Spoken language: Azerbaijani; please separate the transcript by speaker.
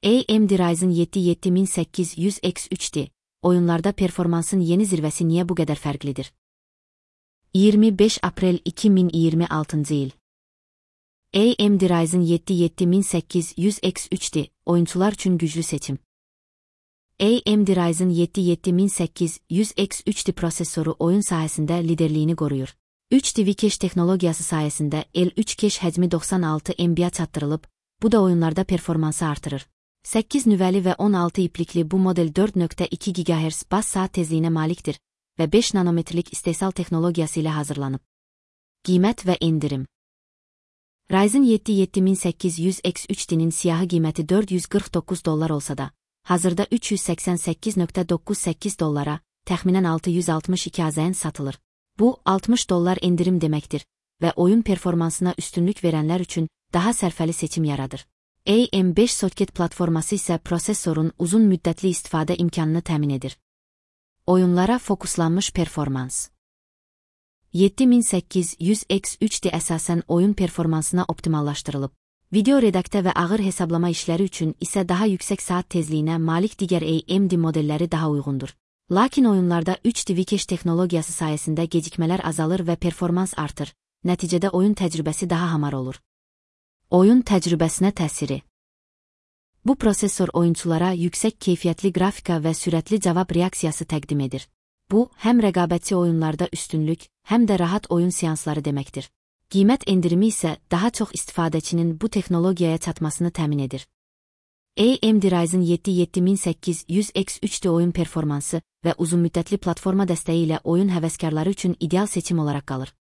Speaker 1: AMD Ryzen 7 7800X3'ti. Oyunlarda performansın yeni zirvesi niye bu kadar farklıdır? 25 April 2026 yıl. AMD Ryzen 7 7800X3'ti. Oyuncular için güçlü seçim. AMD Ryzen 7 7800X3'ti prosesörü oyun sahasında liderliğini koruyor. 3 TV cache teknolojisi sayesinde L3 cache həcmi 96 MB'ye çatdırılıb, bu da oyunlarda performansı artırır. 8 nüvəli və 16 iplikli bu model 4.2 GHz bas saat tezliyinə malikdir və 5 nanometrlik istehsal teknolojisi ilə hazırlanıb. Qiymət və endirim. Ryzen 7 7800X3'nin siyahı qiyməti $449 olsa da, hazırda $388.98, təxminən 662 AZN satılır. Bu, $60 endirim deməkdir və oyun performansına üstünlük verənlər üçün daha sərfəli seçim yaradır. AM5 soket platforması isə prosessorun uzun müddətli istifadə imkanını təmin edir. Oyunlara fokuslanmış performans. 7800X3'di əsasən oyun performansına optimallaşdırılıb. Video redaktə və ağır hesablama işləri üçün isə daha yüksək saat tezliyinə malik digər AMD modelləri daha uyğundur. Lakin oyunlarda 3 TV cache teknolojisi sayəsində gecikmələr azalır və performans artır. Nəticədə oyun təcrübəsi daha hamar olur. Oyun təcrübəsinə təsiri. Bu prosesor oyunçulara yüksək keyfiyyətli qrafika və sürətli cavab reaksiyası təqdim edir. Bu, həm rəqabətçi oyunlarda üstünlük, həm də rahat oyun seansları deməkdir. Qiymət endirimi isə daha çox istifadəçinin bu texnologiyaya çatmasını təmin edir. AMD Ryzen 7 7800X3'di oyun performansı və uzunmüddətli platforma dəstəyi ilə oyun həvəskarları üçün ideal seçim olaraq qalır.